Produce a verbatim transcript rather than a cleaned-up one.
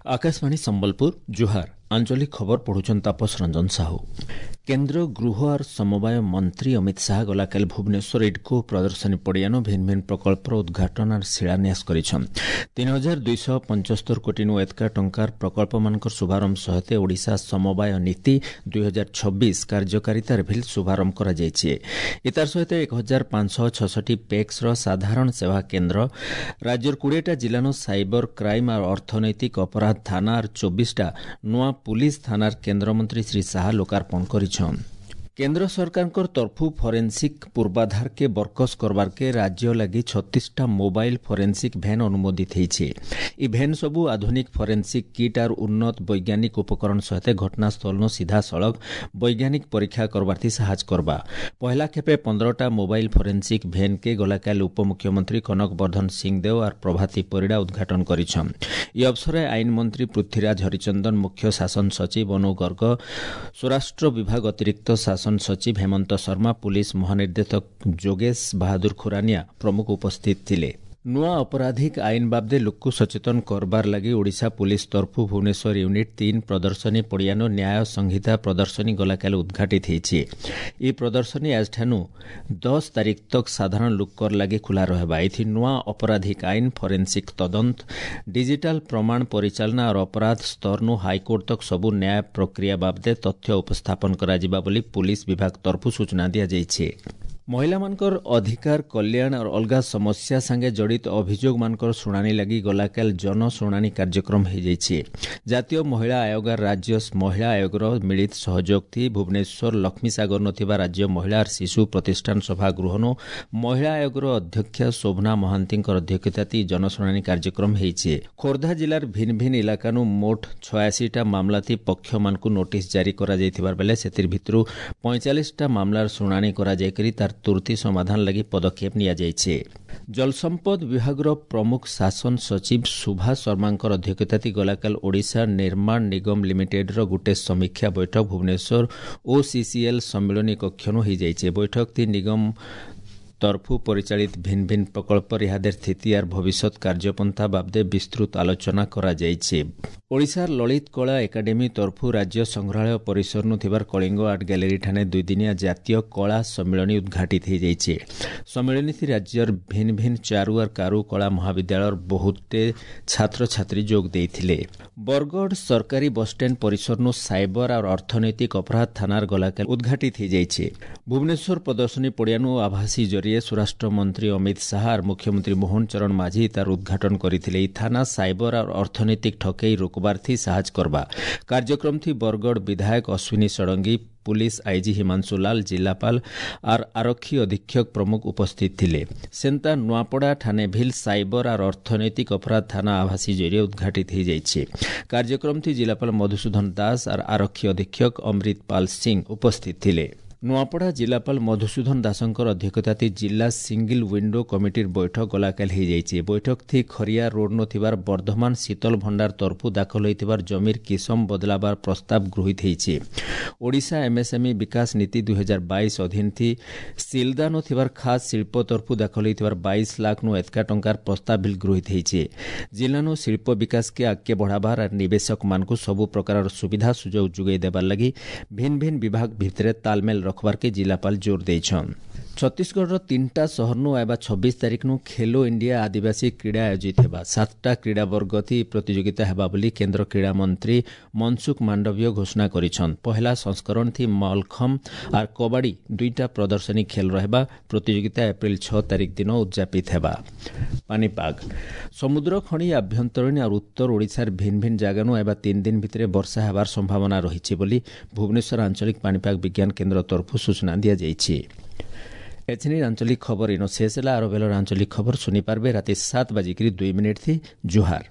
ଆକାଶବାଣୀ ସମ୍ବଲପୁର ଜୁହାର ଆଞ୍ଚଳିକ ଖବର ପଢୁଛନ୍ ତାପସ ରଞ୍ଜନ ସାହୁ କେନ୍ଦ୍ର ଗୃହ ଆର୍ ସମବାୟ ମନ୍ତ୍ରୀ ଅମିତ ଶାହା ଗଲାକାଲି ଭୁବନେଶ୍ୱର ଇଡ୍କୋ ପ୍ରଦର୍ଶନୀ ପଡ଼ିଆନୁ ଭିନ୍ନ ଭିନ୍ନ ପ୍ରକଳ୍ପର ଉଦ୍ଘାଟନ ଆର୍ ଶିଳାନ୍ୟାସ କରିଛନ୍ ତିନି ହଜାର ଦୁଇଶହ ପଞ୍ଚସ୍ତର କୋଟିନୁ ଏତକା ଟଙ୍କାର ପ୍ରକଳ୍ପମାନଙ୍କର ଶୁଭାରମ୍ଭ ସହିତ ଓଡ଼ିଶା ସମବାୟ ନୀତି ଦୁଇ ହଜାର ଛବିଶ କାର୍ଯ୍ୟକାରିତାର ଭିଲ୍ ଶୁଭାରମ୍ଭ କରାଯାଇଛି ଏତାର ସହିତ ଏକ ହଜାର ପାଞ୍ଚଶହ ଛଷଠି ପେକ୍ସର ସାଧାରଣ ସେବା କେନ୍ଦ୍ର ରାଜ୍ୟର କୋଡ଼ିଏଟା ଜିଲ୍ଲାନୁ ସାଇବର କ୍ରାଇମ୍ ଆର୍ ଅର୍ଥନୈତିକ ଅପରାଧ ଥାନା ଆର୍ ଚବିଶଟା ନୂଆ ପୁଲିସ ଥାନାର କେନ୍ଦ୍ରମନ୍ତ୍ରୀ ଶ୍ରୀ ଶାହା ଲୋକାର୍ପଣ କରିଛନ୍ କେନ୍ଦ୍ର ସରକାରଙ୍କର ତରଫୁ ଫରେନ୍ସିକ୍ ପୂର୍ବାଧାରକେ ବରକସ କରବାରକେ ରାଜ୍ୟ ଲାଗି ଛତିଶଟା ମୋବାଇଲ ଫରେନ୍ସିକ୍ ଭ୍ୟାନ୍ ଅନୁମୋଦିତ ହେଇଛି ଇ ଭ୍ୟାନ୍ ସବୁ ଆଧୁନିକ ଫରେନ୍ସିକ୍ କିଟ୍ ଆର୍ ଉନ୍ନତ ବୈଜ୍ଞାନିକ ଉପକରଣ ସହିତ ଘଟଣାସ୍ଥଳନୁ ସିଧାସଳଖ ବୈଜ୍ଞାନିକ ପରୀକ୍ଷା କରବାର୍ଥି ସାହାଯ୍ୟ କରବା ପହଲା ଖେପେ ପନ୍ଦରଟା ମୋବାଇଲ ଫରେନ୍ସିକ୍ ଭ୍ୟାନ୍କେ ଗଲାକାଲି ଉପମୁଖ୍ୟମନ୍ତ୍ରୀ କନକ ବର୍ଦ୍ଧନ ସିଂଦେଓ ଆର୍ ପ୍ରଭାତୀ ପରିଡ଼ା ଉଦ୍ଘାଟନ କରିଛନ୍ ଇ ଅବସରରେ ଆଇନ ମନ୍ତ୍ରୀ ପୃଥ୍ୱୀରାଜ ହରିଚନ୍ଦନ ମୁଖ୍ୟ ଶାସନ ସଚିବ ଅନୁ ଗର୍ଗ ସ୍ୱରାଷ୍ଟ୍ର ବିଭାଗ ଅତିରିକ୍ତ ଶାସନ ସଚିବ ହେମନ୍ତ ଶର୍ମା ପୁଲିସ ମହାନିର୍ଦ୍ଦେଶକ ଯୋଗେଶ ବାହାଦୁର ଖୁରାନିଆ ପ୍ରମୁଖ ଉପସ୍ଥିତ ଥିଲେ ନୂଆ ଅପରାଧିକ ଆଇନ ବାବଦେ ଲୋକକୁ ସଚେତନ କରବାର ଲାଗି ଓଡ଼ିଶା ପୁଲିସ ତରଫୁ ଭୁବନେଶ୍ୱର ୟୁନିଟ୍ ତିନି ପ୍ରଦର୍ଶନୀ ପଡ଼ିଆନୁ ନ୍ୟାୟ ସଂହିତା ପ୍ରଦର୍ଶନୀ ଗଲାକାଲି ଉଦ୍ଘାଟିତ ହେଇଛି ଇ ପ୍ରଦର୍ଶନୀ ଆଜଠାନୁ ଦଶ ତାରିଖ ତକ୍ ସାଧାରଣ ଲୋକର ଲାଗି ଖୋଲା ରହିବା ଏଥି ନୂଆ ଅପରାଧିକ ଆଇନ ଫରେନ୍ସିକ୍ ତଦନ୍ତ ଡିଜିଟାଲ ପ୍ରମାଣ ପରିଚାଳନା ଆର୍ ଅପରାଧ ସ୍ତରନୁ ହାଇକୋର୍ଟ ତକ୍ ସବୁ ନ୍ୟାୟ ପ୍ରକ୍ରିୟା ବାବଦେ ତଥ୍ୟ ଉପସ୍ଥାପନ କରାଯିବା ବୋଲି ପୁଲିସ ବିଭାଗ ତରଫୁ ସୂଚନା ଦିଆଯାଇଛି ମହିଳାମାନଙ୍କର ଅଧିକାର କଲ୍ୟାଣ ଆର୍ ଅଲଗା ସମସ୍ୟା ସାଙ୍ଗେ ଜଡ଼ିତ ଅଭିଯୋଗମାନଙ୍କର ଶୁଣାଣି ଲାଗି ଗଲାକାଲି ଜନଶୁଣାଣି କାର୍ଯ୍ୟକ୍ରମ ହୋଇଯାଇଛି ଜାତୀୟ ମହିଳା ଆୟୋଗ ରାଜ୍ୟ ମହିଳା ଆୟୋଗର ମିଳିତ ସହଯୋଗ ଥି ଭୁବନେଶ୍ୱର ଲକ୍ଷ୍ମୀସାଗର ଥିବା ରାଜ୍ୟ ମହିଳା ଆର୍ ଶିଶୁ ପ୍ରତିଷ୍ଠାନ ସଭାଗୃହନୁ ମହିଳା ଆୟୋଗର ଅଧ୍ୟକ୍ଷା ଶୋଭନା ମହାନ୍ତିଙ୍କର ଅଧ୍ୟକ୍ଷତାତି ଜନଶୁଣାଣି କାର୍ଯ୍ୟକ୍ରମ ହେଇଛି ଖୋର୍ଦ୍ଧା ଜିଲ୍ଲାର ଭିନ୍ନ ଭିନ୍ନ ଇଲାକାନୁ ମୋଟ ଛୟାଅଶୀଟା ମାମଲାଥି ପକ୍ଷମାନଙ୍କୁ ନୋଟିସ୍ ଜାରି କରାଯାଇଥିବାର ବେଲେ ସେଥିର ଭିତରୁ ପଇଁଚାଳିଶଟା ମାମଲାର ଶୁଣାଣି କରାଯାଇକରି ତାର ତୁର୍ତି ସମାଧାନ ଲାଗି ପଦକ୍ଷେପ ନିଆଯାଇଛି ଜଳସମ୍ପଦ ବିଭାଗର ପ୍ରମୁଖ ଶାସନ ସଚିବ ସୁଭାଷ ଶର୍ମାଙ୍କର ଅଧ୍ୟକ୍ଷତାତି ଗଲାକାଲି ଓଡ଼ିଶା ନିର୍ମାଣ ନିଗମ ଲିମିଟେଡ୍ର ଗୋଟେ ସମୀକ୍ଷା ବୈଠକ ଭୁବନେଶ୍ୱର ଓସିସିଏଲ୍ ସମ୍ମିଳନୀ କକ୍ଷନୁ ହୋଇଯାଇଛି ବୈଠକଟି ନିଗମ ତରଫୁ ପରିଚାଳିତ ଭିନ୍ନ ଭିନ୍ନ ପ୍ରକଳ୍ପର ଇହାଦେର ସ୍ଥିତି ଆର୍ ଭବିଷ୍ୟତ କାର୍ଯ୍ୟପନ୍ଥା ବାବଦେ ବିସ୍ତୃତ ଆଲୋଚନା କରାଯାଇଛି ଓଡ଼ିଶାର ଲଳିତ କଳା ଏକାଡେମୀ ତରଫୁ ରାଜ୍ୟ ସଂଗ୍ରହାଳୟ ପରିସରନୁ ଥିବାର କଳିଙ୍ଗ ଆର୍ଟ ଗ୍ୟାଲେରୀ ଠାନେ ଦୁଇଦିନିଆ ଜାତୀୟ କଳା ସମ୍ମିଳନୀ ଉଦ୍ଘାଟିତ ହୋଇଯାଇଛି ସମ୍ମିଳନୀଥି ରାଜ୍ୟର ଭିନ୍ନ ଭିନ୍ନ ଚାରୁ ଆର୍ କାରୁ କଳା ମହାବିଦ୍ୟାଳୟର ବହୁତେ ଛାତ୍ରଛାତ୍ରୀ ଯୋଗ ଦେଇଥିଲେ ବରଗଡ଼ ସରକାରୀ ବସ୍ଷ୍ଟାଣ୍ଡ ପରିସରନୁ ସାଇବର ଆର୍ ଅର୍ଥନୈତିକ ଅପରାଧ ଥାନାର ଗଲାକାଲି ଉଦ୍ଘାଟିତ ହୋଇଯାଇଛି ଭୁବନେଶ୍ୱର ପ୍ରଦର୍ଶନୀ ପଡ଼ିଆନୁ ଆଭାସୀ ଜରିଏ ସ୍ୱରାଷ୍ଟ୍ର ମନ୍ତ୍ରୀ ଅମିତ ଶାହା ଆର୍ ମୁଖ୍ୟମନ୍ତ୍ରୀ ମୋହନ ଚରଣ ମାଝୀ ତାର ଉଦ୍ଘାଟନ କରିଥିଲେ ଏହି ଥାନା ସାଇବର ଆର୍ ଅର୍ଥନୈତିକ ଠକେଇ ରୋକବାର୍ଥି ସାହାଯ୍ୟ କରବା କାର୍ଯ୍ୟକ୍ରମଥି ବରଗଡ଼ ବିଧାୟକ ଅଶ୍ୱିନୀ ଷଡ଼ଙ୍ଗୀ ପୁଲିସ ଆଇଜି ହିମାଂଶୁ ଲାଲ ଜିଲ୍ଲାପାଳ ଆର୍ ଆରକ୍ଷୀ ଅଧୀକ୍ଷକ ପ୍ରମୁଖ ଉପସ୍ଥିତ ଥିଲେ ସେନ୍ତା ନୂଆପଡ଼ା ଠାନେ ଭିଲ୍ ସାଇବର ଆର୍ ଅର୍ଥନୈତିକ ଅପରାଧ ଥାନା ଆଭାସୀ ଜରିଏ ଉଦ୍ଘାଟିତ ହୋଇଯାଇଛି କାର୍ଯ୍ୟକ୍ରମଥି ଜିଲ୍ଲାପାଳ ମଧୁସୂଦନ ଦାସ ଆର୍ ଆରକ୍ଷୀ ଅଧୀକ୍ଷକ ଅମୃତ ପାଲ ସିଂ ଉପସ୍ଥିତ ଥିଲେ ନୂଆପଡ଼ା ଜିଲ୍ଲାପାଳ ମଧୁସୂଦନ ଦାସଙ୍କର ଅଧ୍ୟକ୍ଷତାତି ଜିଲ୍ଲା ସିଙ୍ଗିଲ୍ ୱିଣ୍ଡୋ କମିଟିର ବୈଠକ ଗଲାକାଲି ହୋଇଯାଇଛି ବୈଠକଥି ଖରିଆ ରୋଡ୍ନୁ ଥିବାର ବର୍ଦ୍ଧମାନ ଶୀତଲ ଭଣ୍ଡାର ତରଫୁ ଦାଖଲ ହୋଇଥିବାର ଜମିର କିସମ ବଦଲାବାର ପ୍ରସ୍ତାବ ଗୃହୀତ ହୋଇଛି ଓଡ଼ିଶା ଏମ୍ଏସ୍ଏମ୍ଇ ବିକାଶ ନୀତି ଦୁଇ ହଜାର ବାଇଶ ଅଧୀନଥି ସିଲଦାନୁ ଥିବାର ଖାସ୍ ଶିଳ୍ପ ତରଫୁ ଦାଖଲ ହୋଇଥିବାର ବାଇଶ ଲାଖ୍ନୁ ଏତକା ଟଙ୍କାର ପ୍ରସ୍ତାବ ବିଲ୍ ଗୃହୀତ ହୋଇଛି ଜିଲ୍ଲାନୁ ଶିଳ୍ପ ବିକାଶକେ ଆଗକେ ବଢ଼ାବାର ଆର୍ ନିବେଶକମାନଙ୍କୁ ସବୁ ପ୍ରକାରର ସୁବିଧା ସୁଯୋଗ ଯୋଗାଇ ଦେବାର ଲାଗି ଭିନ୍ନ ଭିନ୍ନ ବିଭାଗ ଭିତରେ ତାଲମେଲ ରଖବାର୍କେ ଜିଲ୍ଲାପାଳ ଜୋର ଦେଇଛନ୍ ଛତିଶଗଡ଼ର ତିନିଟା ସହରନୁ ଆଇବା ଛବିଶ ତାରିଖନୁ ଖେଲୋ ଇଣ୍ଡିଆ ଆଦିବାସୀ କ୍ରୀଡ଼ା ଆୟୋଜିତ ହେବା ସାତଟା କ୍ରୀଡ଼ା ବର୍ଗଥି ପ୍ରତିଯୋଗିତା ହେବା ବୋଲି କେନ୍ଦ୍ର କ୍ରୀଡ଼ା ମନ୍ତ୍ରୀ ମନସୁଖ ମାଣ୍ଡବୀୟ ଘୋଷଣା କରିଛନ୍ ପହେଲା ସଂସ୍କରଣଥି ମଲଖମ୍ ଆର୍ କବାଡ଼ି ଦୁଇଟା ପ୍ରଦର୍ଶନୀ ଖେଲ ରହିବା ପ୍ରତିଯୋଗିତା ଏପ୍ରିଲ ଛଅ ତାରିଖ ଦିନ ଉଦ୍ଯାପିତ ହେବା ପାଣିପାଗ ସମୁଦ୍ର ଖଣି ଆଭ୍ୟନ୍ତରୀଣ ଆର୍ ଉତ୍ତର ଓଡ଼ିଶାର ଭିନ୍ନ ଭିନ୍ନ ଜାଗାନୁ ଆଇବା ତିନି ଦିନ ଭିତରେ ବର୍ଷା ହେବାର ସମ୍ଭାବନା ରହିଛି ବୋଲି ଭୁବନେଶ୍ୱର ଆଞ୍ଚଳିକ ପାଣିପାଗ ବିଜ୍ଞାନ କେନ୍ଦ୍ର ତରଫରୁ ସୂଚନା ଦିଆଯାଇଛି ଏଥିନି ଆଞ୍ଚଳିକ ଖବର ଇନ ଶେଷ ହେଲା ଆର ବେଲର ଆଞ୍ଚଳିକ ଖବର ଶୁଣିପାରିବେ ରାତି ସାତ ବାଜିକିରି ଦୁଇ ମିନିଟ୍ ଥି ଜୁହାର